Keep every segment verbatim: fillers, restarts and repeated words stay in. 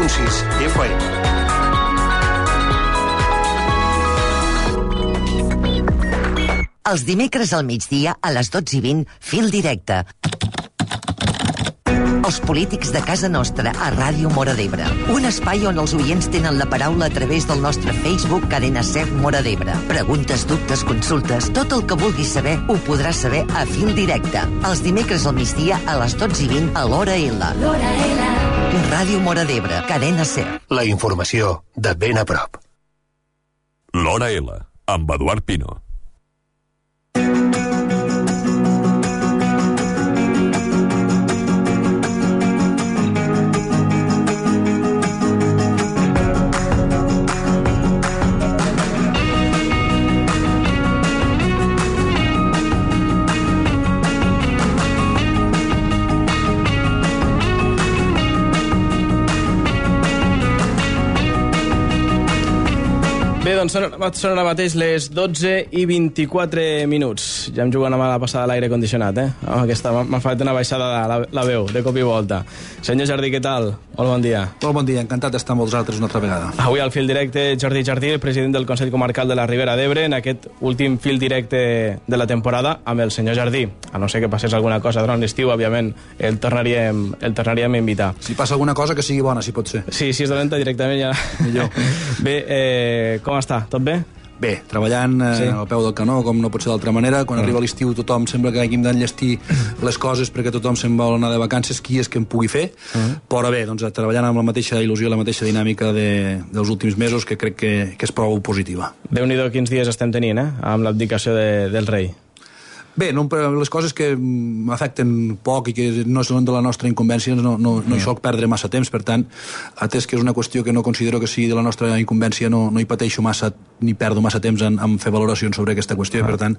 punt sis F M. Els dimecres al migdia, a les dotze i vint, Fil Directe. Els polítics de casa nostra a Ràdio Móra d'Ebre. Un espai on els oients tenen la paraula a través del nostre Facebook Cadena Ser Móra d'Ebre. Preguntes, dubtes, consultes, tot el que vulguis saber ho podràs saber a Fil Directe. Els dimecres al migdia a les dotze i vint a l'Hora L. L'Hora L. Ràdio Móra d'Ebre, Cadena Ser. La informació de ben a prop. L'Hora L, amb Eduard Pino. Bé, doncs són, són ara mateix les dotze i vint-i-quatre minuts. Ja em juguen amb la passada a l'aire condicionat, eh? Oh, aquesta m'ha fet una baixada de la, la veu, de cop i volta. Senyor Jardí, què tal? Molt bon dia. Molt bon dia, encantat d'estar amb vosaltres una altra vegada. Avui al fil directe, Jordi Jardí, el president del Consell Comarcal de la Ribera d'Ebre, en aquest últim fil directe de la temporada amb el senyor Jardí. A no ser que passés alguna cosa durant l'estiu, òbviament, el tornaríem, el tornaríem a invitar. Si passa alguna cosa, que sigui bona, si pot ser. Sí, si és dolenta, directament ja... Millor. Bé, eh, com està? Tot bé? Bé, treballant eh, sí. al peu del canó, com no pot ser d'altra manera. Quan mm. arriba l'estiu tothom sembla que hàgim d'enllestir les coses perquè tothom se'n vol anar de vacances, qui és que en pugui fer. Mm. Però bé, doncs, treballant amb la mateixa il·lusió i la mateixa dinàmica de, dels últims mesos, que crec que, que és prou positiva. Déu-n'hi-do quins dies estem tenint, eh? Amb l'abdicació de, del rei. Bé, no, les coses que m'afecten poc i que no són de la nostra incumbència no, no, no hi soc perdre massa temps, per tant, atès que és una qüestió que no considero que sigui de la nostra incumbència, no, no hi pateixo massa ni perdo massa temps en, en fer valoracions sobre aquesta qüestió, ah. i per tant,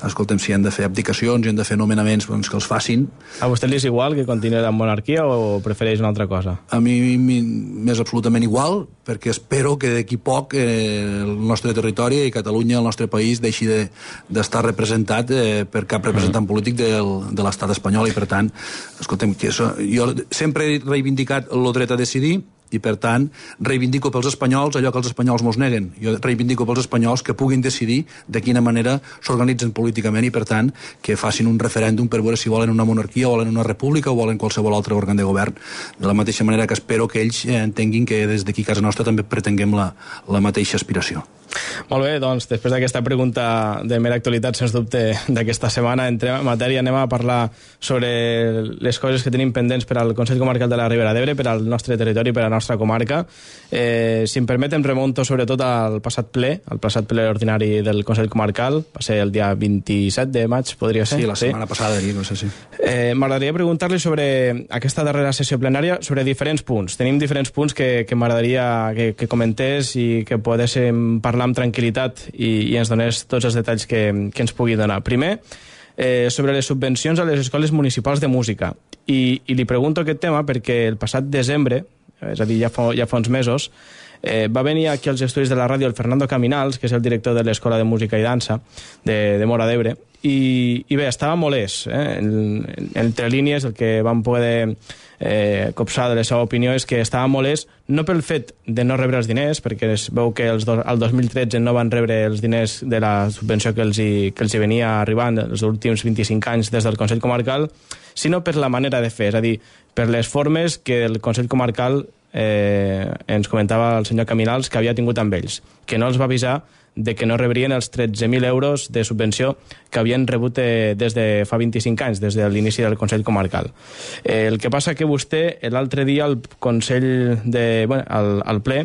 escoltem, si hem de fer abdicacions i hem de fer nomenaments, doncs que els facin. A vostè li és igual que continuï la monarquia o prefereix una altra cosa? A mi m'és absolutament igual, perquè espero que d'aquí poc eh, el nostre territori i Catalunya, el nostre país, deixi d'estar de, representat eh, per cap representant polític del, de l'estat espanyol, i per tant, escoltem, que això, jo sempre he reivindicat el dret a decidir, i per tant reivindico pels espanyols allò que els espanyols mos neguen. Jo reivindico pels espanyols que puguin decidir de quina manera s'organitzen políticament, i per tant que facin un referèndum per veure si volen una monarquia o volen una república o volen qualsevol altre òrgan de govern, de la mateixa manera que espero que ells entenguin que des d'aquí a casa nostra també pretenguem la, la mateixa aspiració. Molt bé, doncs després d'aquesta pregunta de mera actualitat, sens dubte, d'aquesta setmana, entrem en matèria, anem a parlar sobre les coses que tenim pendents per al Consell Comarcal de la Ribera d'Ebre, per al nostre territori, per a la nostra comarca. Eh, si em permeten, remonto sobretot al passat ple, al passat ple ordinari del Consell Comarcal, va ser el dia vint-i-set de maig, podria ser? Sí, la setmana sí? passada, no sé si... Eh, M'agradaria preguntar-li sobre aquesta darrera sessió plenària, sobre diferents punts. Tenim diferents punts que, que m'agradaria que, que comentés i que poguéssim parlar amb tranquil·litat i, i ens donés tots els detalls que, que ens pugui donar. Primer, eh, sobre les subvencions a les escoles municipals de música. I, i li pregunto aquest tema perquè el passat desembre, és a dir, ja fa, ja fa uns mesos, eh, va venir aquí als estudis de la ràdio el Fernando Caminals, que és el director de l'Escola de Música i Dansa de, de Móra d'Ebre, i, i bé, estava molest. Eh? En, en, entre línies, el que vam poder eh, copsar de la seva opinió és que estava molest no pel fet de no rebre els diners, perquè es veu que els do, el dos mil tretze no van rebre els diners de la subvenció que els hi, que els hi venia arribant els últims vint-i-cinc anys des del Consell Comarcal, sinó per la manera de fer, és a dir, per les formes que el Consell Comarcal eh, ens comentava el senyor Caminals que havia tingut amb ells, que no els va avisar de que no rebrien els tretze mil euros de subvenció que havien rebut eh, des de fa vint-i-cinc anys, des de l'inici del Consell Comarcal. Eh, el que passa que vostè, l'altre dia, al Consell de... Bueno, al, al ple,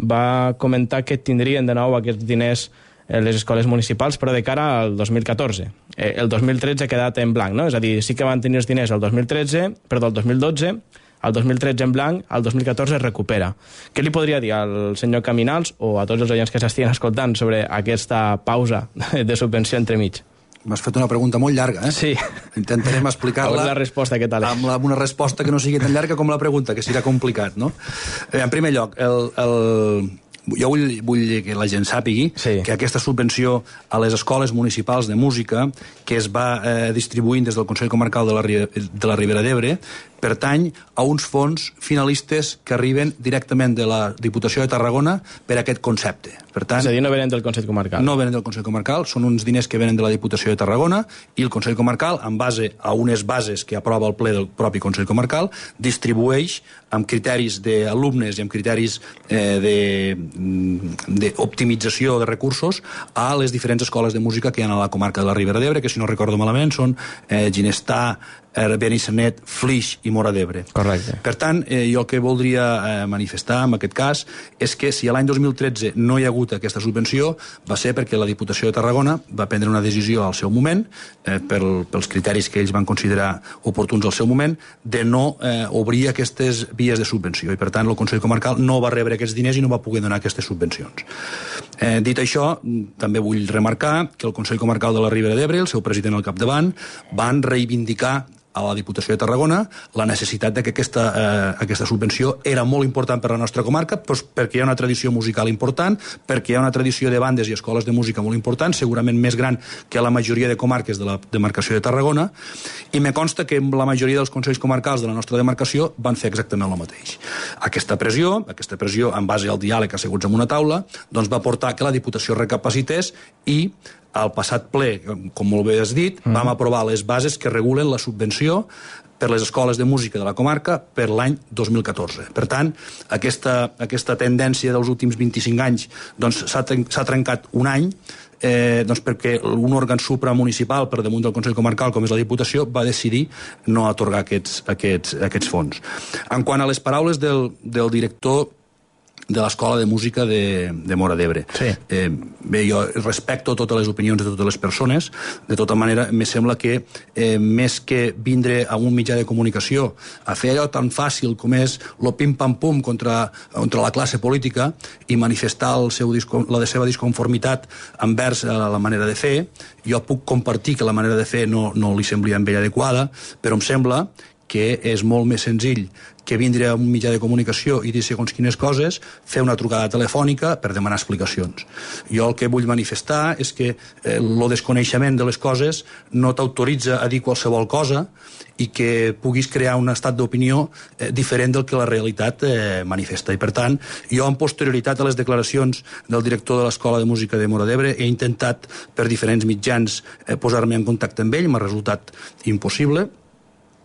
va comentar que tindrien de nou aquests diners les escoles municipals, però de cara al dos mil catorze. Eh, el dos mil tretze ha quedat en blanc, no? És a dir, sí que van tenir els diners el dos mil tretze, perdó, el dos mil dotze, el dos mil tretze en blanc, el dos mil catorze es recupera. Què li podria dir al senyor Caminals o a tots els oients que s'estien escoltant sobre aquesta pausa de subvenció entremig? M'has fet una pregunta molt llarga, eh? Sí. Intentarem explicar-la... la resposta, què tal? Amb, la, amb una resposta que no sigui tan llarga com la pregunta, que serà complicat, no? Eh, en primer lloc, el... el... jo vull, vull que la gent sàpigui sí. que aquesta subvenció a les escoles municipals de música que es va eh, distribuint des del Consell Comarcal de la, de la Ribera d'Ebre pertany a uns fons finalistes que arriben directament de la Diputació de Tarragona per a aquest concepte. Per tant, és a dir, no venen del Consell Comarcal. No venen del Consell Comarcal, són uns diners que venen de la Diputació de Tarragona i el Consell Comarcal, en base a unes bases que aprova el ple del propi Consell Comarcal, distribueix amb criteris d'alumnes i amb criteris eh, d'optimització de, de recursos a les diferents escoles de música que hi ha a la comarca de la Ribera d'Ebre, que si no recordo malament són eh, Ginestà, Benissanet, Flix i Móra d'Ebre. Correcte. Per tant, eh, jo el que voldria eh, manifestar en aquest cas és que si l'any dos mil tretze no hi ha hagut aquesta subvenció va ser perquè la Diputació de Tarragona va prendre una decisió al seu moment, eh, pel, pels criteris que ells van considerar oportuns al seu moment, de no eh, obrir aquestes vies de subvenció. I per tant el Consell Comarcal no va rebre aquests diners i no va poder donar aquestes subvencions. Eh, dit això, també vull remarcar que el Consell Comarcal de la Ribera d'Ebre, el seu president al capdavant, van reivindicar a la Diputació de Tarragona la necessitat de que aquesta, eh, aquesta subvenció era molt important per a la nostra comarca, doncs perquè hi ha una tradició musical important, perquè hi ha una tradició de bandes i escoles de música molt important, segurament més gran que la majoria de comarques de la demarcació de Tarragona, i me consta que la majoria dels consells comarcals de la nostra demarcació van fer exactament el mateix. Aquesta pressió, aquesta pressió en base al diàleg asseguts en una taula, doncs va portar que la Diputació recapacités i al passat ple, com molt bé has dit, mm. vam aprovar les bases que regulen la subvenció per les escoles de música de la comarca per l'any dos mil catorze. Per tant, aquesta, aquesta tendència dels últims vint-i-cinc anys doncs, s'ha tren trencat un any, eh, doncs perquè un òrgan supramunicipal per damunt del Consell Comarcal, com és la Diputació, va decidir no atorgar aquests, aquests, aquests fons. En quant a les paraules del, del director de l'Escola de Música de, de Móra d'Ebre. Sí. Eh, bé, jo respecto totes les opinions de totes les persones, de tota manera, me sembla que eh, més que vindre a un mitjà de comunicació a fer allò tan fàcil com és lo pim-pam-pum contra, contra la classe política i manifestar el seu, la seva disconformitat envers la manera de fer, jo puc compartir que la manera de fer no, no li semblia a ell adequada, però em sembla que és molt més senzill que vindre a un mitjà de comunicació i dir segons quines coses, fer una trucada telefònica per demanar explicacions. Jo el que vull manifestar és que eh, el desconeixement de les coses no t'autoritza a dir qualsevol cosa i que puguis crear un estat d'opinió eh, diferent del que la realitat eh, manifesta. I per tant, jo en posterioritat a les declaracions del director de l'Escola de Música de Móra d'Ebre he intentat per diferents mitjans eh, posar-me en contacte amb ell, m'ha resultat impossible,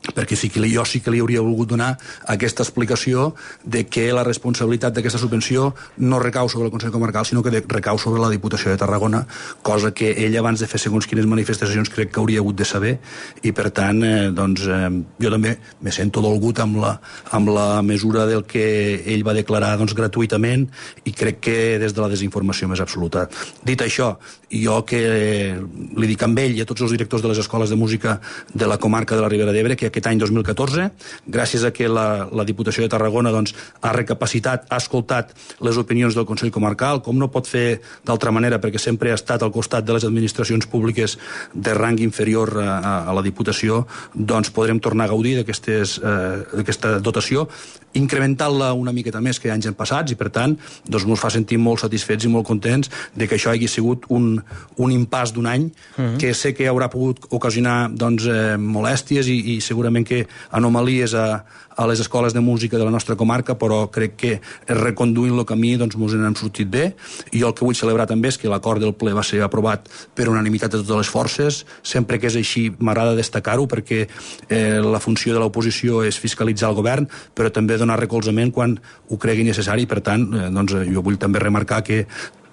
perquè sí que jo sí que li hauria volgut donar aquesta explicació de que la responsabilitat d'aquesta subvenció no recau sobre el Consell Comarcal, sinó que recau sobre la Diputació de Tarragona, cosa que ell abans de fer segons quines manifestacions crec que hauria hagut de saber, i per tant eh, doncs, eh, jo també me sento dolgut amb la, amb la mesura del que ell va declarar doncs, gratuïtament, i crec que des de la desinformació més absoluta. Dit això, jo que eh, li dic amb ell i a tots els directors de les escoles de música de la comarca de la Ribera d'Ebre que aquest any dos mil catorze, gràcies a que la, la Diputació de Tarragona doncs, ha recapacitat, ha escoltat les opinions del Consell Comarcal, com no pot fer d'altra manera, perquè sempre ha estat al costat de les administracions públiques de rang inferior a, a, a la Diputació, doncs podrem tornar a gaudir d'aquesta eh, dotació, incrementant-la una miqueta més que anys passats, i per tant doncs, ens fa sentir molt satisfets i molt contents de que això hagi sigut un, un impàs d'un any, uh-huh. que sé que haurà pogut ocasionar doncs, eh, molèsties i, i segurament que anomalies a, a les escoles de música de la nostra comarca, però crec que reconduint el camí doncs ens n'hem sortit bé, i jo el que vull celebrar també és que l'acord del ple va ser aprovat per unanimitat de totes les forces. Sempre que és així m'agrada destacar-ho, perquè eh, la funció de l'oposició és fiscalitzar el govern, però també donar recolzament quan ho cregui necessari. Per tant, eh, doncs, jo vull també remarcar que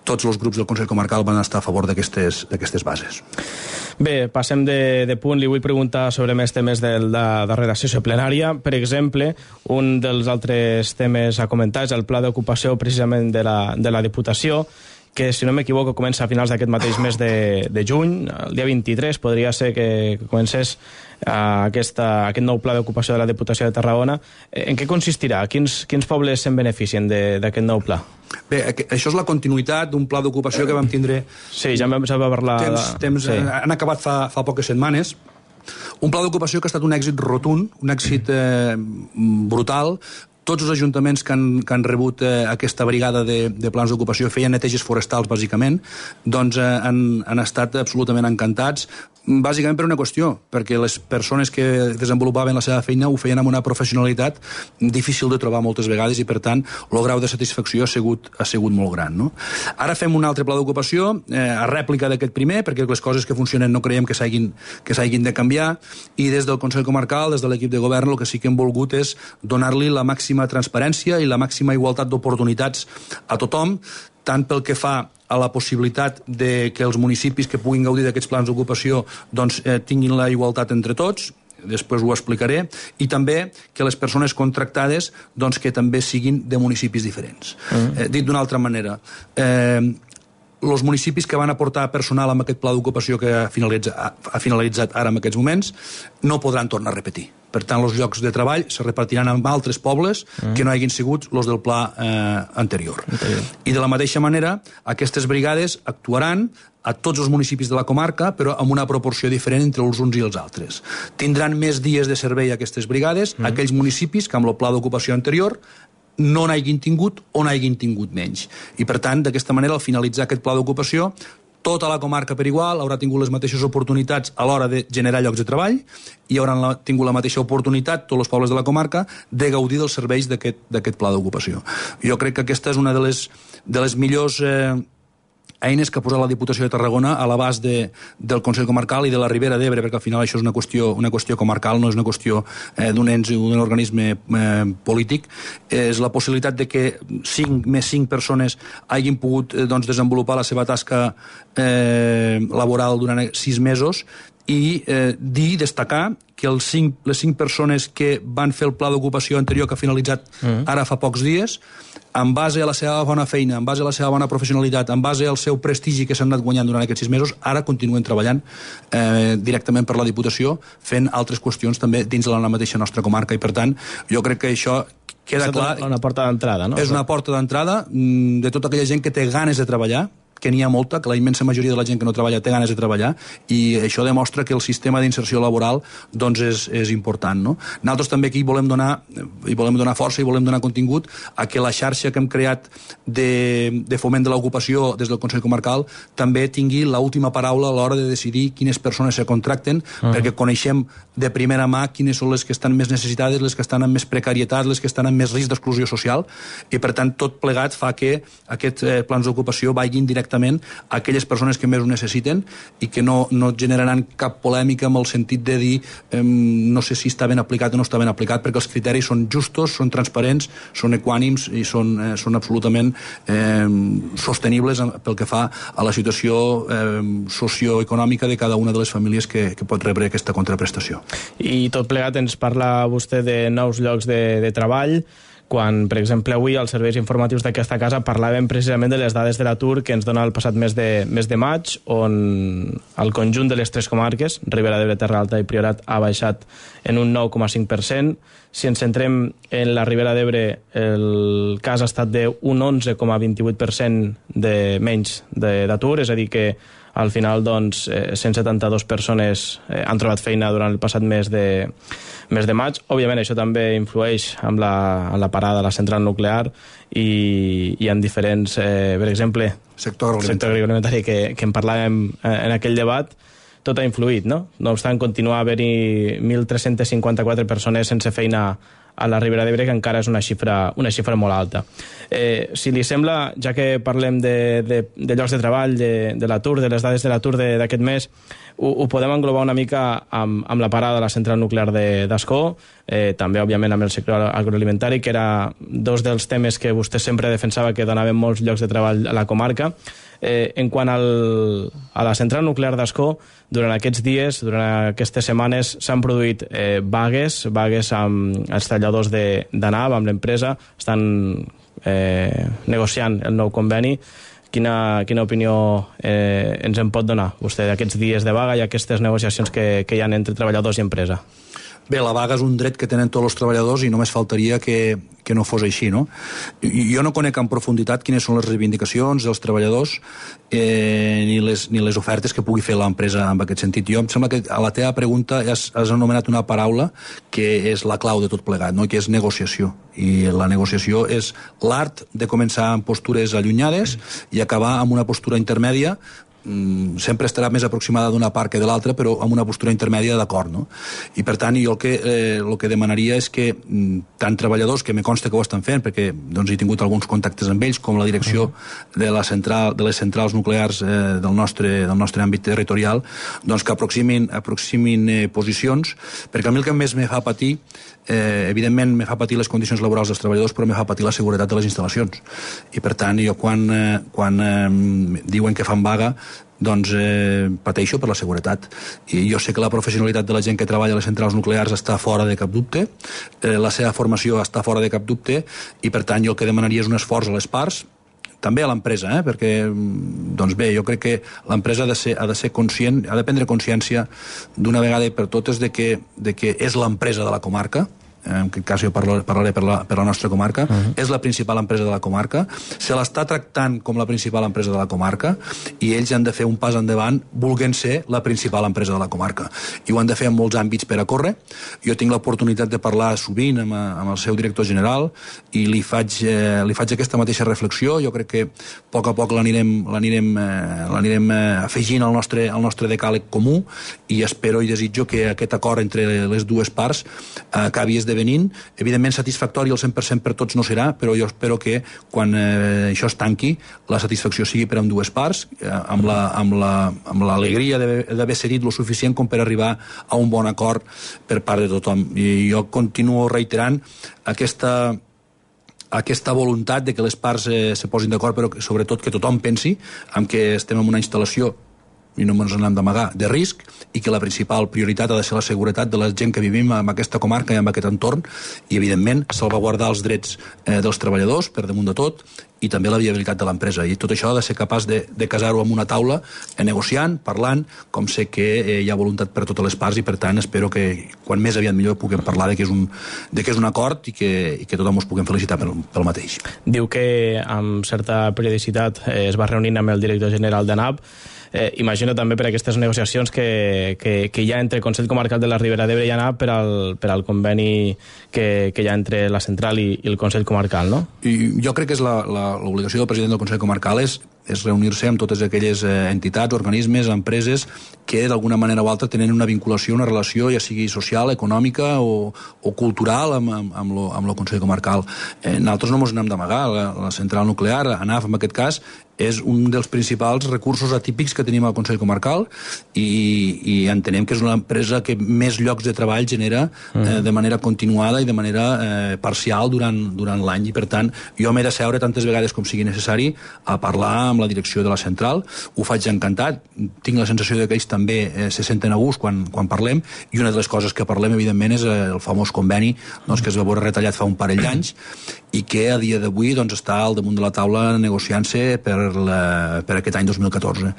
tots els grups del Consell Comarcal van estar a favor d'aquestes bases. Bé, passem de, de punt. Li vull preguntar sobre més temes de la darrera sessió plenària. Per exemple, un dels altres temes a comentar és el pla d'ocupació precisament de la, de la Diputació, que, si no m'equivoco, comença a finals d'aquest mateix mes de, de juny. El dia vint-i-tres podria ser que, que comencés uh, aquesta, aquest nou pla d'ocupació de la Diputació de Tarragona. En què consistirà? Quins, quins pobles se'n beneficien d'aquest nou pla? Bé, això és la continuïtat d'un pla d'ocupació que vam tindre... Sí, ja vam saber parlar... Temps, temps, sí. Han acabat fa, fa poques setmanes. Un pla d'ocupació que ha estat un èxit rotund, un èxit eh, brutal, tots els ajuntaments que han, que han rebut eh, aquesta brigada de, de plans d'ocupació, feien neteges forestals, bàsicament, doncs eh, han, han estat absolutament encantats, bàsicament per una qüestió, perquè les persones que desenvolupaven la seva feina ho feien amb una professionalitat difícil de trobar moltes vegades i, per tant, el grau de satisfacció ha sigut, ha sigut molt gran. No? Ara fem un altre pla d'ocupació, eh, a rèplica d'aquest primer, perquè les coses que funcionen no creiem que s'hagin que s'hagin de canviar, i des del Consell Comarcal, des de l'equip de govern, el que sí que hem volgut és donar-li la màxima transparència i la màxima igualtat d'oportunitats a tothom, tant pel que fa a la possibilitat de que els municipis que puguin gaudir d'aquests plans d'ocupació doncs, eh, tinguin la igualtat entre tots, després ho explicaré, i també que les persones contractades doncs, que també siguin de municipis diferents. Mm. Eh, dit d'una altra manera, eh, els municipis que van aportar personal amb aquest pla d'ocupació que ha finalitzat, ha finalitzat ara en aquests moments no podran tornar a repetir. Per tant, els llocs de treball se repartiran amb altres pobles mm. que no hagin sigut els del pla eh, anterior. anterior. I de la mateixa manera, aquestes brigades actuaran a tots els municipis de la comarca, però amb una proporció diferent entre els uns i els altres. Tindran més dies de servei aquestes brigades, mm. aquells municipis que amb el pla d'ocupació anterior no n'hagin tingut o n'hagin tingut menys. I, per tant, d'aquesta manera, al finalitzar aquest pla d'ocupació, tota la comarca per igual haurà tingut les mateixes oportunitats a l'hora de generar llocs de treball i hauran la, tingut la mateixa oportunitat, tots els pobles de la comarca, de gaudir dels serveis d'aquest pla d'ocupació. Jo crec que aquesta és una de les, de les millors eh, eines que ha posat la Diputació de Tarragona a l'abast de, del Consell Comarcal i de la Ribera d'Ebre, perquè al final això és una qüestió, una qüestió comarcal, no és una qüestió eh, d'un ens o d'un organisme eh, polític. És la possibilitat de que cinc més cinc persones hagin pogut eh, doncs, desenvolupar la seva tasca eh, laboral durant sis mesos i eh, dir, destacar que els cinc, les cinc persones que van fer el pla d'ocupació anterior que ha finalitzat mm. ara fa pocs dies, en base a la seva bona feina, en base a la seva bona professionalitat, en base al seu prestigi que s'han anat guanyant durant aquests sis mesos, ara continuen treballant eh, directament per la Diputació, fent altres qüestions també dins de la mateixa nostra comarca, i per tant, jo crec que això queda clar. És una porta d'entrada, no? És una porta d'entrada de tota aquella gent que té ganes de treballar, que n'hi ha molta, que la immensa majoria de la gent que no treballa té ganes de treballar, i això demostra que el sistema d'inserció laboral doncs és, és important. No? Nosaltres també aquí volem donar, i volem donar força i volem donar contingut a que la xarxa que hem creat de, de foment de l'ocupació des del Consell Comarcal també tingui l'última paraula a l'hora de decidir quines persones se contracten, uh-huh. perquè coneixem de primera mà quines són les que estan més necessitades, les que estan amb més precarietat, les que estan amb més risc d'exclusió social, i per tant tot plegat fa que aquests eh, plans d'ocupació vagin directament a aquelles persones que més ho necessiten i que no, no generaran cap polèmica en el sentit de dir eh, no sé si està ben aplicat o no està ben aplicat, perquè els criteris són justos, són transparents, són equànims i són, eh, són absolutament eh, sostenibles pel que fa a la situació eh, socioeconòmica de cada una de les famílies que, que pot rebre aquesta contraprestació. I tot plegat ens parla vostè de nous llocs de, de treball, quan, per exemple, avui als serveis informatius d'aquesta casa parlàvem precisament de les dades de l'atur que ens dona el passat mes de, mes de maig, on el conjunt de les tres comarques, Ribera d'Ebre, Terra Alta i Priorat, ha baixat en un nou coma cinc per cent. Si ens centrem en la Ribera d'Ebre, el cas ha estat d'un onze coma vint-i-vuit per cent de menys d'atur, és a dir que al final doncs, cent setanta-dues persones han trobat feina durant el passat mes de, mes de maig. Òbviament això també influeix amb la, amb la parada de la central nuclear i, i en diferents, eh, per exemple, sector agroalimentari, sector agroalimentari que, que en parlàvem en aquell debat, tot ha influït, no? No obstant, continua a haver-hi mil tres-cents cinquanta-quatre persones sense feina a la Ribera d'Ebre, que encara és una xifra, una xifra molt alta. Eh, si li sembla, ja que parlem de, de, de llocs de treball, de, de l'atur, de les dades de l'atur d'aquest mes, ho, ho podem englobar una mica amb, amb la parada de la central nuclear d'Ascó, eh, també, òbviament, amb el sector agroalimentari, que era dos dels temes que vostè sempre defensava que donaven molts llocs de treball a la comarca. Eh, en quant al, a la central nuclear d'Ascó, durant aquests dies, durant aquestes setmanes, s'han produït eh, vagues, vagues amb els talladors de, de Nav, amb l'empresa, estan eh, negociant el nou conveni. Quina, quina opinió eh, ens en pot donar vostè d'aquests dies de vaga i aquestes negociacions que, que hi ha entre treballadors i empresa? Bé, la vaga és un dret que tenen tots els treballadors i només faltaria que, que no fos així, no? Jo no conec en profunditat quines són les reivindicacions dels treballadors eh, ni, les, ni les ofertes que pugui fer l'empresa en aquest sentit. Jo em sembla que a la teva pregunta has, has anomenat una paraula que és la clau de tot plegat, no? Que és negociació. I la negociació és l'art de començar amb postures allunyades i acabar amb una postura intermèdia, sempre estarà més aproximada d'una part que de l'altra, però amb una postura intermèdia d'acord, no? I per tant, jo el que, eh, el que demanaria és que tant treballadors, que me consta que ho estan fent, perquè doncs, he tingut alguns contactes amb ells, com la direcció de, la central, de les centrals nuclears eh, del, nostre, del nostre àmbit territorial, doncs que aproximin, aproximin eh, posicions, perquè a mi el que més me fa patir, eh, evidentment me fa patir les condicions laborals dels treballadors, però me fa patir la seguretat de les instal·lacions. I per tant, jo quan, eh, quan eh, diuen que fan vaga, doncs eh, pateixo per la seguretat. I jo sé que la professionalitat de la gent que treballa a les centrals nuclears està fora de cap dubte, eh, la seva formació està fora de cap dubte, i per tant jo el que demanaria és un esforç a les parts, també a l'empresa, eh? Perquè, doncs bé, jo crec que l'empresa ha de ser, ha de ser conscient, ha de prendre consciència d'una vegada i per totes de que, de que és l'empresa de la comarca, en aquest cas jo parlo, parlaré per la, per la nostra comarca, uh-huh. És la principal empresa de la comarca, se l'està tractant com la principal empresa de la comarca i ells han de fer un pas endavant volent ser la principal empresa de la comarca. I ho han de fer en molts àmbits per a córrer. Jo tinc l'oportunitat de parlar sovint amb, amb el seu director general i li faig, eh, li faig aquesta mateixa reflexió. Jo crec que a poc a poc l'anirem l'anirem eh, l'anirem eh, afegint al nostre, al nostre decàleg comú i espero i desitjo que aquest acord entre les dues parts eh, acabi esdevenint venint, evidentment satisfactori al cent per cent per tots no serà, però jo espero que quan eh, això es tanqui la satisfacció sigui per amb dues parts, eh, amb la, amb la, amb l'alegria d'haver cedit lo suficient com per arribar a un bon acord per part de tothom. I jo continuo reiterant aquesta aquesta voluntat de que les parts eh, se posin d'acord, però que, sobretot que tothom pensi en que estem en una instal·lació i no ens n'hem d'amagar, de risc, i que la principal prioritat ha de ser la seguretat de la gent que vivim en aquesta comarca i en aquest entorn, i evidentment salvaguardar els drets eh, dels treballadors per damunt de tot, i també la viabilitat de l'empresa. I tot això ha de ser capaç de, de casar-ho en una taula, eh, negociant, parlant, com sé que eh, hi ha voluntat per totes les parts, i per tant espero que quan més aviat millor puguem parlar de que és un, de que és un acord i que, i que tothom us puguem felicitar pel, pel mateix. Diu que amb certa periodicitat eh, es va reunint amb el director general de N A P. Eh, imagino també per aquestes negociacions que, que, que hi ha entre el Consell Comarcal de la Ribera d'Ebre i A N A P per al, per al conveni que, que hi ha entre la central i, i el Consell Comarcal, no? I jo crec que és l'obligació del president del Consell Comarcal és, és reunir-se amb totes aquelles eh, entitats, organismes, empreses que d'alguna manera o altra tenen una vinculació, una relació, ja sigui social, econòmica o, o cultural amb, amb, amb, lo, amb el Consell Comarcal. Eh, nosaltres no ens n'hem d'amagar, la, la central nuclear, A N A F en aquest cas, és un dels principals recursos atípics que tenim al Consell Comarcal i, i entenem que és una empresa que més llocs de treball genera eh, de manera continuada i de manera eh, parcial durant, durant l'any, i per tant jo m'he de seure tantes vegades com sigui necessari a parlar amb la direcció de la central. Ho faig encantat, tinc la sensació de que ells també eh, se senten a gust quan, quan parlem, i una de les coses que parlem evidentment és el famós conveni doncs, que es va veure retallat fa un parell d'anys i que a dia d'avui doncs, està al damunt de la taula negociant-se per, la, per aquest any dos mil catorze.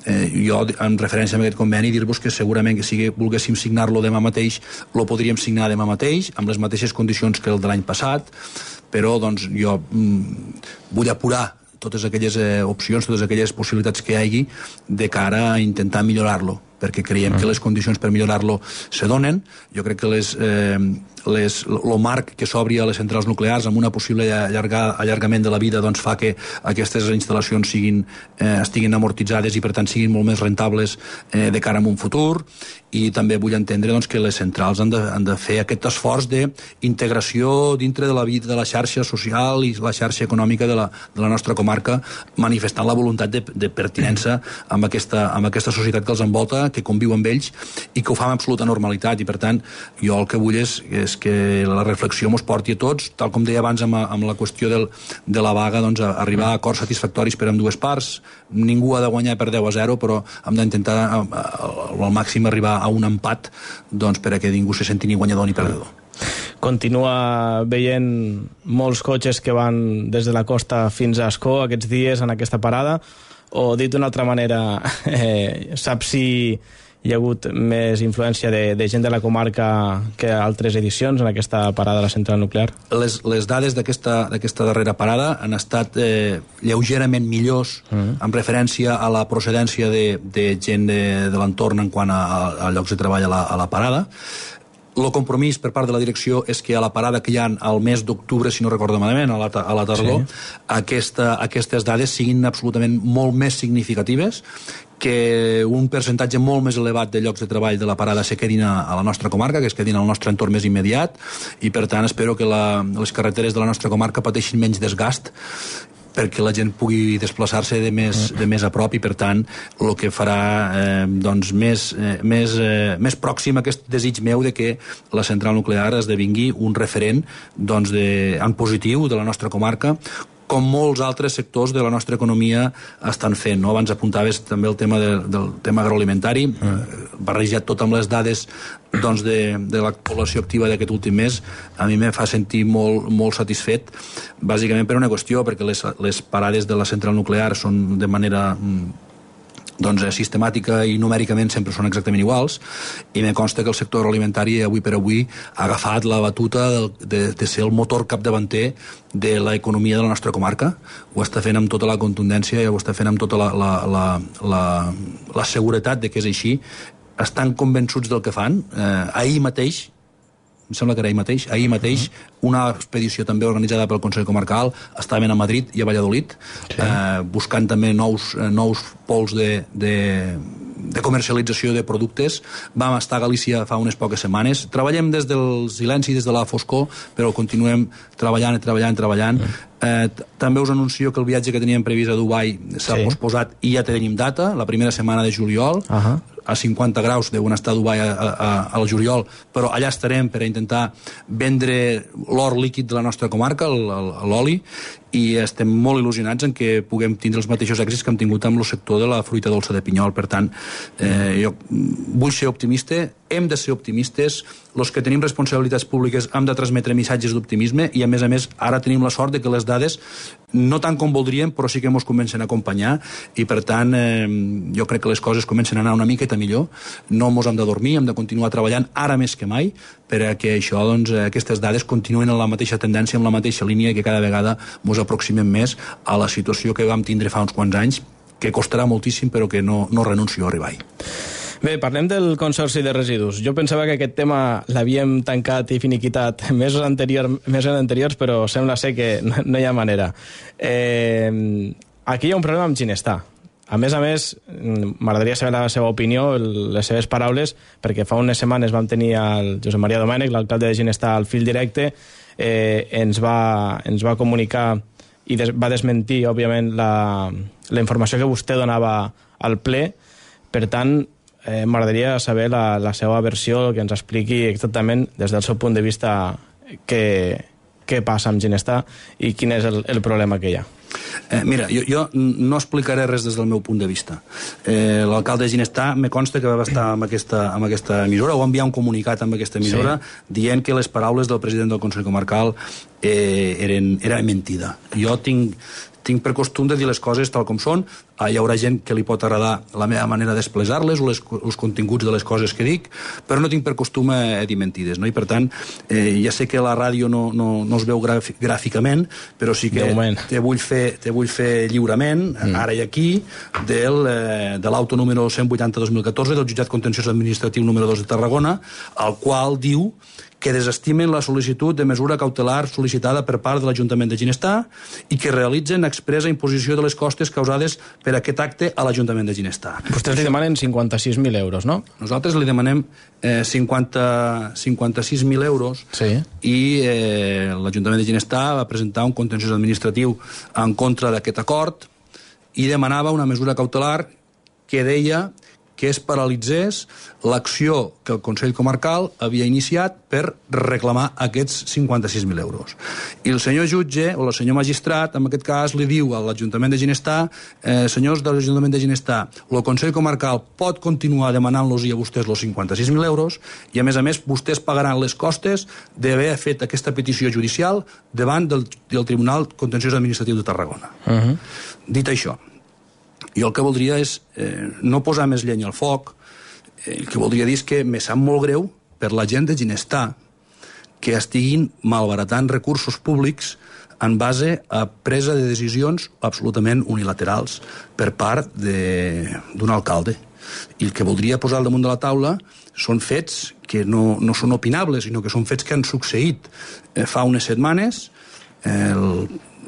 Eh, jo, en referència a aquest conveni, dir-vos que segurament que si volguéssim signar-lo demà mateix, lo podríem signar demà mateix, amb les mateixes condicions que el de l'any passat, però doncs, jo mm, vull apurar totes aquelles eh, opcions, totes aquelles possibilitats que hi hagi de cara a intentar millorar-lo, perquè creiem que les condicions per millorar-lo se donen. Jo crec que les, eh, les, el marc que s'obri a les centrals nuclears amb una possible allargar, allargament de la vida doncs, fa que aquestes instal·lacions siguin, eh, estiguin amortitzades i per tant siguin molt més rentables eh, de cara a un futur, i també vull entendre doncs, que les centrals han de, han de fer aquest esforç d'integració dintre de la vida de la xarxa social i la xarxa econòmica de la, de la nostra comarca, manifestant la voluntat de, de pertinença amb aquesta, amb aquesta societat que els envolta, que conviu amb ells i que ho fa amb absoluta normalitat. I per tant jo el que vull és, és que la reflexió mos porti a tots, tal com deia abans amb, amb la qüestió del, de la vaga, doncs, a arribar a acords satisfactoris per amb dues parts. Ningú ha de guanyar per deu a zero, però hem d'intentar al màxim arribar a un empat, doncs, per a que ningú se senti ni guanyador ni perdedor. Continua veient molts cotxes que van des de la costa fins a Ascó aquests dies en aquesta parada, o dit d'una altra manera, eh, saps si hi ha hagut més influència de, de gent de la comarca que altres edicions en aquesta parada de la central nuclear? Les, les dades d'aquesta darrera parada han estat eh, lleugerament millors mm. en referència a la procedència de, de gent de, de l'entorn en quant a, a llocs de treball a la, a la parada. El compromís per part de la direcció és que a la parada que hi ha al mes d'octubre, si no recordo malament, a la, a la tardor, sí. aquesta, aquestes dades siguin absolutament molt més significatives, que un percentatge molt més elevat de llocs de treball de la parada se quedin a, a la nostra comarca, que es quedin al nostre entorn més immediat, i per tant espero que la, les carreteres de la nostra comarca pateixin menys desgast perquè la gent pugui desplaçar-se de més, de més a prop i, per tant, el que farà eh, doncs, més, eh, més, eh, més pròxim a aquest desig meu de que la central nuclear esdevingui un referent doncs, de, en positiu de la nostra comarca, com molts altres sectors de la nostra economia estan fent. No? Abans apuntaves també el tema de, del tema agroalimentari, mm. barrejat tot amb les dades doncs, de, de la població activa d'aquest últim mes, a mi me fa sentir molt, molt satisfet, bàsicament per una qüestió, perquè les, les parades de la central nuclear són de manera doncs, sistemàtica i numèricament sempre són exactament iguals, i me consta que el sector agroalimentari avui per avui ha agafat la batuta de, de, de ser el motor capdavanter de l'economia de la nostra comarca. Ho està fent amb tota la contundència i ho està fent amb tota la, la, la, la, la seguretat de que és així. Estan convençuts del que fan. Eh, ahir mateix, em sembla que era ahir mateix, ahir mateix una expedició també organitzada pel Consell Comarcal estaven a Madrid i a Valladolid, sí. eh, buscant també nous, eh, nous pols de, de, de comercialització de productes. Vam estar a Galícia fa unes poques setmanes. Treballem des del silenci, des de la foscor, però continuem treballant i treballant, treballant. Mm. Eh, també us anuncio que el viatge que teníem previst a Dubai s'ha sí. posposat i ja tenim data, la primera setmana de juliol. Uh -huh. A cinquanta graus deuen estar a Dubai a, a, al juliol, però allà estarem per a intentar vendre l'or líquid de la nostra comarca, l'oli, i estem molt il·lusionats en que puguem tindre els mateixos èxits que hem tingut amb el sector de la fruita dolça de pinyol. Per tant, eh, jo vull ser optimista, hem de ser optimistes, els que tenim responsabilitats públiques hem de transmetre missatges d'optimisme i, a més a més, ara tenim la sort de que les dades, no tant com voldríem, però sí que ens comencen a acompanyar i, per tant, eh, jo crec que les coses comencen a anar una miqueta millor. No ens hem de dormir, hem de continuar treballant ara més que mai perquè això, doncs, aquestes dades continuen en la mateixa tendència, en la mateixa línia i que cada vegada ens aproximem més a la situació que vam tindre fa uns quants anys, que costarà moltíssim però que no, no renuncio a arribar-hi. Bé, parlem del Consorci de Residus. Jo pensava que aquest tema l'havíem tancat i finiquitat mesos, anterior, mesos anteriors, però sembla ser que no, no hi ha manera. Eh, aquí hi ha un problema amb Ginestar. A més a més, m'agradaria saber la seva opinió, les seves paraules, perquè fa unes setmanes vam tenir el Josep Maria Domènech, l'alcalde de Ginestar, al fil directe, eh, ens, va, ens va comunicar i des, va desmentir, òbviament, la, la informació que vostè donava al ple. Per tant, eh, m'agradaria saber la, la seva versió, que ens expliqui exactament, des del seu punt de vista, què, què passa amb Ginestar i quin és el, el problema que hi ha. Eh, mira, jo, jo no explicaré res des del meu punt de vista. Eh, L'alcalde de Ginestar me consta que va estar amb aquesta, amb aquesta emissora, o va enviar un comunicat amb aquesta emissora, sí. dient que les paraules del president del Consell Comarcal eh, eren, eren mentida. Jo tinc, tinc per costum de dir les coses tal com són. Ah, hi haurà gent que li pot agradar la meva manera d'expressar-les o les, els continguts de les coses que dic, però no tinc per costum a dir mentides, no? I per tant, eh, ja sé que la ràdio no, no, no es veu gràficament, però sí que te vull fer, te vull fer lliurement, mm. ara i aquí, del, eh, de l'auto número cent vuitanta dos mil catorze del jutjat contenciós administratiu número dos de Tarragona, al qual diu que desestimen la sol·licitud de mesura cautelar sol·licitada per part de l'Ajuntament de Ginestar i que realitzen expressa imposició de les costes causades per aquest acte a l'Ajuntament de Ginestar. Vostès li demanen cinquanta-sis mil euros, no? Nosaltres li demanem eh, cinquanta, cinquanta-sis mil euros sí. i eh, l'Ajuntament de Ginestar va presentar un contenciós administratiu en contra d'aquest acord i demanava una mesura cautelar que deia que es paralitzés l'acció que el Consell Comarcal havia iniciat per reclamar aquests cinquanta-sis mil euros. I el senyor jutge, o el senyor magistrat, en aquest cas, li diu a l'Ajuntament de Ginestar, eh, senyors de l'Ajuntament de Ginestar, el Consell Comarcal pot continuar demanant-los a vostès els cinquanta-sis mil euros i, a més a més, vostès pagaran les costes d'haver fet aquesta petició judicial davant del, del Tribunal Contenciós Administratiu de Tarragona. Uh-huh. Dit això, jo el que voldria és eh, no posar més llenya al foc El que voldria dir és que me sap molt greu per la gent de Ginestar que estiguin malbaratant recursos públics en base a presa de decisions absolutament unilaterals per part d'un alcalde. I el que voldria posar al damunt de la taula són fets que no, no són opinables, sinó que són fets que han succeït eh, fa unes setmanes.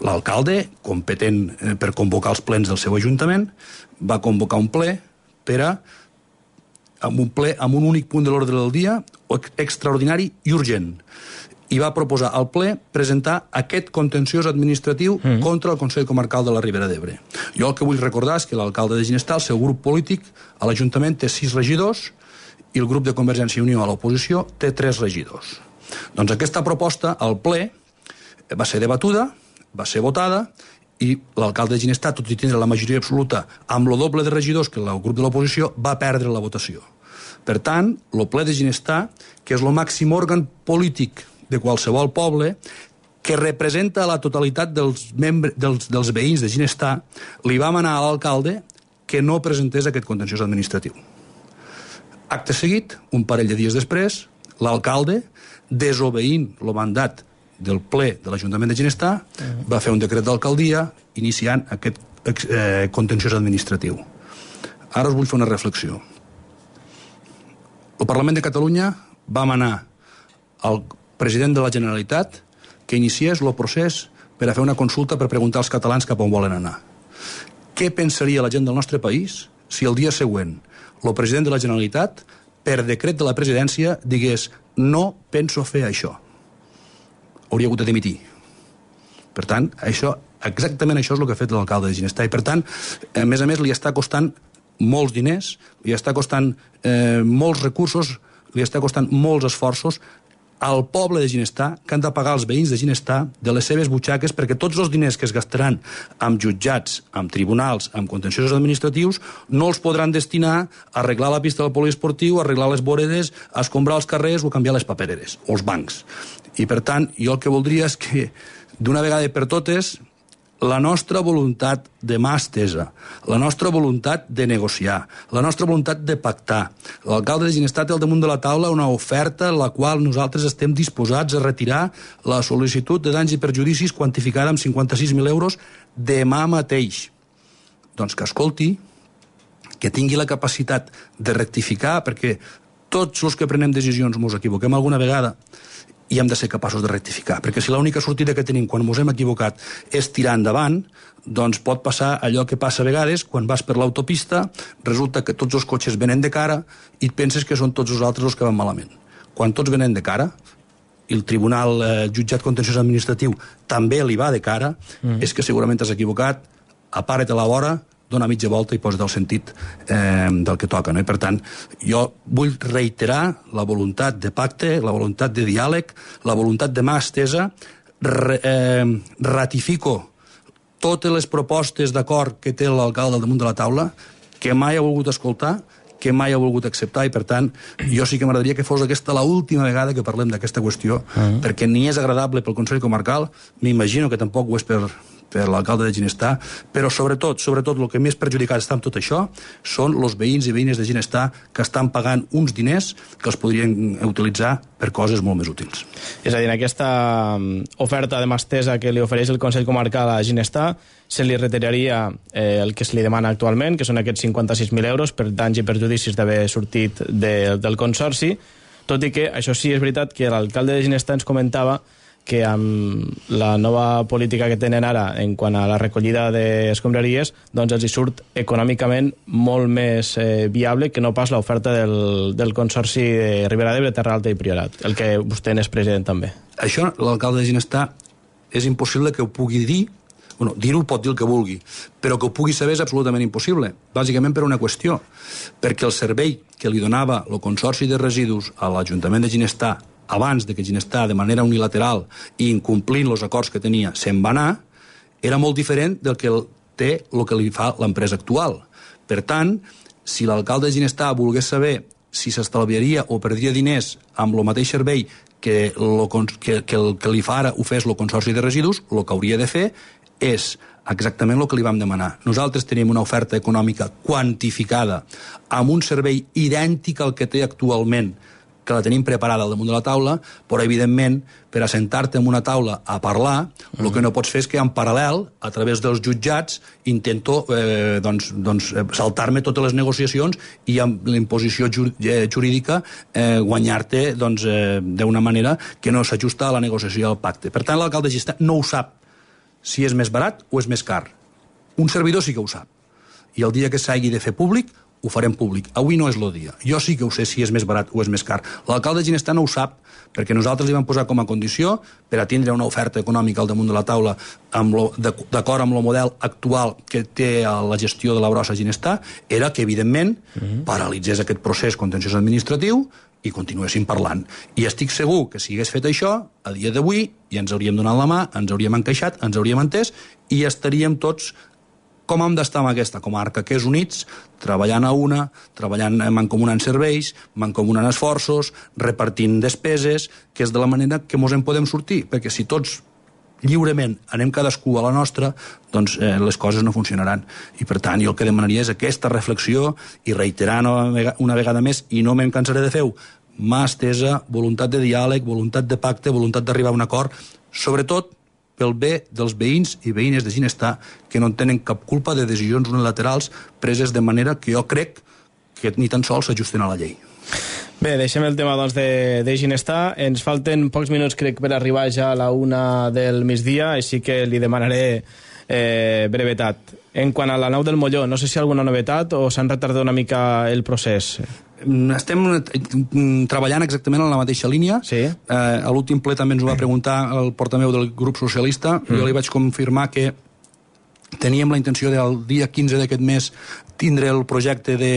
L'alcalde, competent eh, per convocar els plens del seu ajuntament, va convocar un ple per a amb un ple amb un únic punt de l'ordre del dia, extraordinari i urgent. I va proposar al ple presentar aquest contenciós administratiu mm. contra el Consell Comarcal de la Ribera d'Ebre. Jo el que vull recordar és que l'alcalde de Ginestar, el seu grup polític, a l'Ajuntament té sis regidors i el grup de Convergència i Unió a l'oposició té tres regidors. Doncs aquesta proposta al ple va ser debatuda, va ser votada i l'alcalde de Ginestar, tot i tindre la majoria absoluta amb el doble de regidors que el grup de l'oposició, va perdre la votació. Per tant, el ple de Ginestar, que és el màxim òrgan polític de qualsevol poble, que representa la totalitat dels, membres, dels, dels veïns de Ginestar, li va manar a l'alcalde que no presentés aquest contenciós administratiu. Acte seguit, un parell de dies després, l'alcalde, desobeint el mandat del ple de l'Ajuntament de Ginestar, uh-huh. va fer un decret d'alcaldia iniciant aquest eh, contenciós administratiu. Ara us vull fer una reflexió. El Parlament de Catalunya va manar al president de la Generalitat que iniciés el procés per a fer una consulta per preguntar als catalans cap on volen anar. Què pensaria la gent del nostre país si el dia següent el president de la Generalitat, per decret de la presidència, digués no penso fer això? Hauria hagut de dimitir. Per tant, això, exactament això és el que ha fet l'alcalde de Ginestar. I per tant, a més a més, li està costant molts diners, li està costant eh, molts recursos, li està costant molts esforços al poble de Ginestar, que han de pagar els veïns de Ginestar de les seves butxaques, perquè tots els diners que es gastaran amb jutjats, amb tribunals, amb contenciosos administratius, no els podran destinar a arreglar la pista del poliesportiu, a arreglar les voredes, a escombrar els carrers o a canviar les papereres, o els bancs. I per tant, jo el que voldria és que, d'una vegada per totes, la nostra voluntat de mà estesa, la nostra voluntat de negociar, la nostra voluntat de pactar. L'alcalde de Ginestar té al damunt de la taula una oferta en la qual nosaltres estem disposats a retirar la sol·licitud de danys i perjudicis quantificada amb cinquanta-sis mil euros demà mateix. Doncs que escolti, que tingui la capacitat de rectificar, perquè tots els que prenem decisions ens equivoquem alguna vegada, i hem de ser capaços de rectificar, perquè si l'única sortida que tenim quan ens hem equivocat és tirar endavant, doncs pot passar allò que passa a vegades quan vas per l'autopista, resulta que tots els cotxes venen de cara i et penses que són tots els altres els que van malament. Quan tots venen de cara, i el tribunal eh, jutjat contenciós administratiu també li va de cara, mm. és que segurament t'has equivocat, apara't a la vora, dona mitja volta i posa't el sentit eh, del que toca. No? I per tant, jo vull reiterar la voluntat de pacte, la voluntat de diàleg, la voluntat de mà estesa, re, eh, ratifico totes les propostes d'acord que té l'alcalde al damunt de la taula, que mai ha volgut escoltar, que mai ha volgut acceptar, i per tant jo sí que m'agradaria que fos aquesta l'última vegada que parlem d'aquesta qüestió, uh-huh. perquè ni és agradable pel Consell Comarcal, m'imagino que tampoc ho és per, per l'alcalde de Ginestar, però sobretot, sobretot el que més perjudicat està amb tot això són els veïns i veïnes de Ginestar que estan pagant uns diners que els podrien utilitzar per coses molt més útils. És a dir, en aquesta oferta de mà estesa que li ofereix el Consell Comarcal a Ginestar se li retiraria eh, el que se li demana actualment, que són aquests cinquanta-sis mil euros per danys i perjudicis d'haver sortit de, del Consorci, tot i que això sí és veritat que l'alcalde de Ginestar ens comentava que amb la nova política que tenen ara en quant a la recollida d'escombraries, doncs els hi surt econòmicament molt més eh, viable que no pas l'oferta del, del Consorci de Ribera d'Ebre, Terra Alta i Priorat, el que vostè n'és president també. Això l'alcalde de Ginestar és impossible que ho pugui dir. Bueno, dir-ho pot dir el que vulgui, però que ho pugui saber és absolutament impossible, bàsicament per una qüestió, perquè el servei que li donava el Consorci de Residus a l'Ajuntament de Ginestar abans de que Ginestar, de manera unilateral i incomplint els acords que tenia, se'n va anar, era molt diferent del que té el que li fa l'empresa actual. Per tant, si l'alcalde de Ginestar volgués saber si s'estalviaria o perdria diners amb el mateix servei que, lo, que, que el que li fa ara ho fes el Consorci de Residus, el que hauria de fer és exactament el que li vam demanar. Nosaltres tenim una oferta econòmica quantificada amb un servei idèntic al que té actualment, que la tenim preparada al damunt de la taula, però, evidentment, per assentar-te en una taula a parlar, el mm. que no pots fer és que, en paral·lel, a través dels jutjats, intento eh, doncs, doncs, saltar-me totes les negociacions i amb la imposició jurídica eh, guanyar-te doncs, eh, d'una manera que no s'ajusta a la negociació del pacte. Per tant, l'alcalde de Ginestar no ho sap si és més barat o és més car. Un servidor sí que ho sap. I el dia que s'hagi de fer públic, ho farem públic. Avui no és el dia. Jo sí que ho sé si és més barat o és més car. L'alcalde de Ginestar no ho sap, perquè nosaltres li vam posar com a condició per a tindre una oferta econòmica al damunt de la taula d'acord amb el model actual que té la gestió de la brossa a Ginestar, era que, evidentment, uh-huh. paralitzés aquest procés contenciós administratiu i continuéssim parlant. I estic segur que si hagués fet això, a dia d'avui, ja ens hauríem donat la mà, ens hauríem encaixat, ens hauríem entès i estaríem tots com hem d'estar en aquesta comarca, que és units, treballant a una, treballant mancomunant serveis, mancomunant esforços, repartint despeses, que és de la manera que ens en podem sortir, perquè si tots lliurement anem cadascú a la nostra, doncs eh, les coses no funcionaran. I per tant, jo el que demanaria és aquesta reflexió i reiterar una vegada més, i no me'n cansaré de fer-ho, mà estesa, voluntat de diàleg, voluntat de pacte, voluntat d'arribar a un acord, sobretot pel bé dels veïns i veïnes de Ginestar, que no tenen cap culpa de decisions unilaterals preses de manera que jo crec que ni tan sols s'ajusten a la llei. Bé, deixem el tema doncs, de, de Ginestar. Ens falten pocs minuts, crec, per arribar ja a la una del migdia, així que li demanaré eh, brevetat. En quant a la nau del Molló, no sé si hi ha alguna novetat o s'han retardat una mica el procés. Estem treballant exactament en la mateixa línia. Sí. Eh, a l'últim ple també ens ho va preguntar el portaveu del grup socialista. Mm. Jo li vaig confirmar que teníem la intenció del dia quinze d'aquest mes tindre el projecte de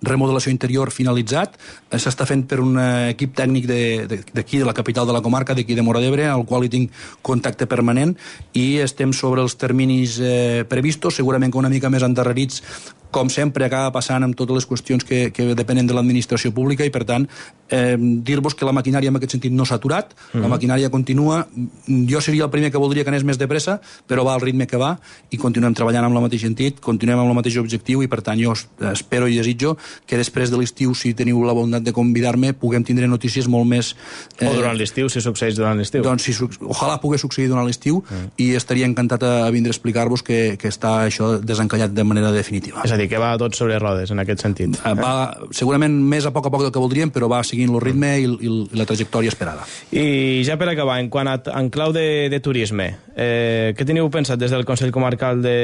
remodelació interior finalitzat. S'està fent per un equip tècnic d'aquí, de, de la capital de la comarca, d'aquí de Móra d'Ebre, al qual hi tinc contacte permanent, i estem sobre els terminis eh, previstos, segurament que una mica més endarrerits, com sempre acaba passant amb totes les qüestions que, que depenen de l'administració pública, i per tant eh, dir-vos que la maquinària en aquest sentit no s'ha aturat, mm-hmm. la maquinària continua. Jo seria el primer que voldria que anés més de pressa, però va al ritme que va i continuem treballant amb el mateix sentit, continuem amb el mateix objectiu, i per tant jo espero i desitjo que després de l'estiu, si teniu la bondat de convidar-me, puguem tindre notícies molt més... Eh, o durant l'estiu, si succeeix durant l'estiu. Doncs si, ojalà pugui succeir durant l'estiu, mm. i estaria encantat a vindre a explicar-vos que, que està això desencallat de manera definitiva. És a dir, que va tot sobre rodes, en aquest sentit. Va, segurament més a poc a poc del que voldríem, però va seguint el ritme i, i, i la trajectòria esperada. I ja per acabar, en quant a en clau de, de turisme, eh, què teniu pensat des del Consell Comarcal de,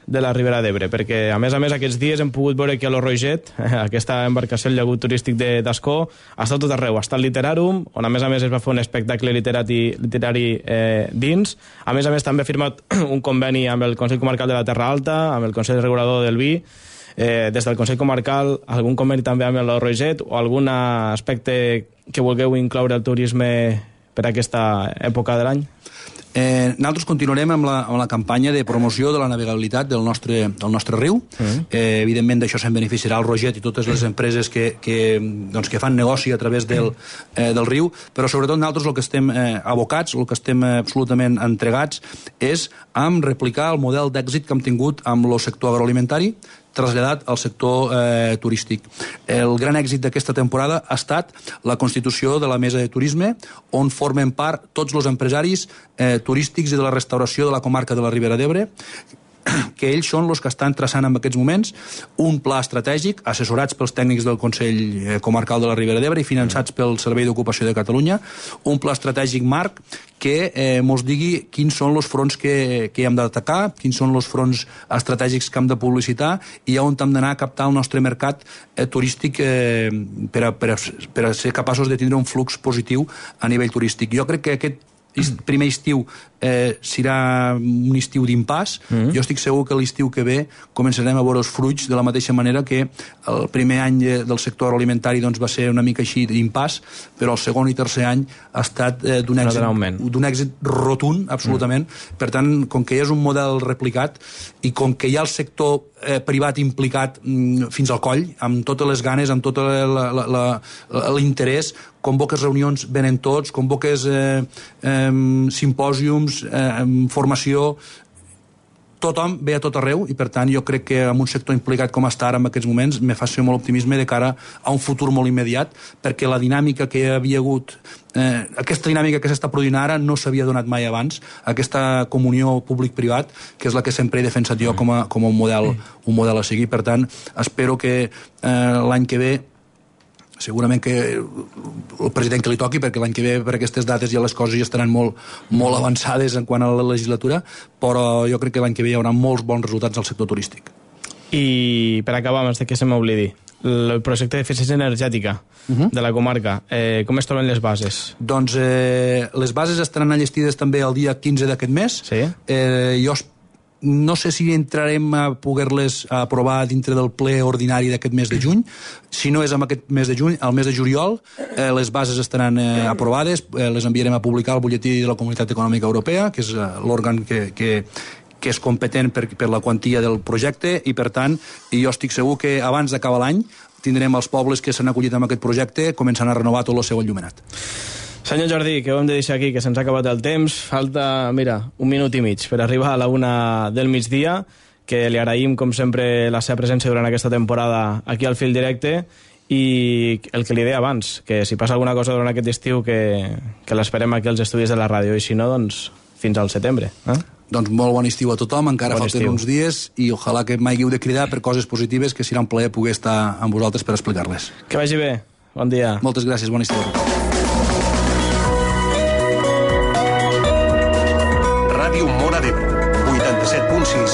de la Ribera d'Ebre? Perquè, a més a més, aquests dies hem pogut veure que a l'Oroiget, aquesta embarcació, el llagut turístic d'Ascó, ha estat tot arreu. Ha estat Literàrum, on a més a més es va fer un espectacle literari, literari eh, dins. A més a més, també ha firmat un conveni amb el Consell Comarcal de la Terra Alta, amb el Consell Regulador del Vi. Eh, des del Consell Comarcal, algun conveni també amb l'Oroiget o algun aspecte que vulgueu incloure el turisme per aquesta època de l'any? Eh, nosaltres continuarem amb la, amb la campanya de promoció de la navegabilitat del nostre, del nostre riu. Mm. Eh, evidentment d'això se'n beneficiarà el Roget i totes les empreses que, que, doncs, que fan negoci a través del, eh, del riu, però sobretot nosaltres el que estem eh, abocats, el que estem eh, absolutament entregats és amb replicar el model d'èxit que hem tingut amb el sector agroalimentari, traslladat al sector eh, turístic. El gran èxit d'aquesta temporada ha estat la constitució de la Mesa de Turisme, on formen part tots els empresaris eh, turístics i de la restauració de la comarca de la Ribera d'Ebre, que ells són els que estan traçant en aquests moments un pla estratègic, assessorats pels tècnics del Consell Comarcal de la Ribera d'Ebre i finançats pel Servei d'Ocupació de Catalunya, un pla estratègic marc que eh, mos digui quins són els fronts que, que hem d'atacar, quins són els fronts estratègics que hem de publicitar i on hem d'anar a captar el nostre mercat eh, turístic eh, per, a, per, a, per a ser capaços de tindre un flux positiu a nivell turístic. Jo crec que aquest primer estiu eh, serà un estiu d'impàs. Mm-hmm. Jo estic segur que l'estiu que ve començarem a veure els fruits de la mateixa manera que el primer any del sector agroalimentari doncs, va ser una mica així d'impàs, però el segon i tercer any ha estat eh, d'un èxit, d'un èxit rotund, absolutament. Mm. Per tant, com que és un model replicat i com que hi ha el sector eh, privat implicat mm, fins al coll, amb totes les ganes, amb tot l'interès, convoques reunions, venen tots, convoques eh, eh, simpòsiums, eh, formació, tothom ve a tot arreu i per tant jo crec que amb un sector implicat com està ara en aquests moments me fa ser molt optimisme de cara a un futur molt immediat, perquè la dinàmica que hi havia hagut, eh, aquesta dinàmica que s'està produint ara no s'havia donat mai abans, aquesta comunió públic-privat, que és la que sempre he defensat jo com a, com a un, model, un model a seguir. Per tant, espero que eh, l'any que ve segurament que el president que li toqui, perquè l'any que ve per aquestes dates ja les coses ja estaran molt, molt avançades en quant a la legislatura, però jo crec que l'any que ve hi haurà molts bons resultats al sector turístic. I per acabar, abans de que se m'oblidi, el projecte d'eficiència energètica uh-huh. de la comarca, eh, com es troben les bases? Doncs eh, les bases estaran enllestides també el dia quinze d'aquest mes. Sí? Eh, jo no sé si entrarem a poder-les aprovar dintre del ple ordinari d'aquest mes de juny. Si no és en aquest mes de juny, al mes de juliol, eh, les bases estaran eh, aprovades, eh, les enviarem a publicar al butlletí de la Comunitat Econòmica Europea, que és eh, l'òrgan que, que, que és competent per, per la quantia del projecte, i per tant, jo estic segur que abans d'acabar l'any tindrem els pobles que s'han acollit amb aquest projecte començant a renovar tot el seu enllumenat. Senyor Jordi, que ho hem de deixar aquí, que se'ns ha acabat el temps. Falta, mira, un minut i mig per arribar a la una del migdia, que li agraïm, com sempre, la seva presència durant aquesta temporada aquí al Fil Directe, i el que li deia abans, que si passa alguna cosa durant aquest estiu, que, que l'esperem aquí als estudis de la ràdio, i si no, doncs fins al setembre. Eh? Doncs molt bon estiu a tothom, encara bon falten estiu. uns dies, i ojalà que mai hagueu de cridar per coses positives, que serà un plaer poder estar amb vosaltres per explicar-les. Que vagi bé, bon dia. Moltes gràcies, bon estiu a tothom. Ràdio Móra d'Ebre, vuitanta-set punt sis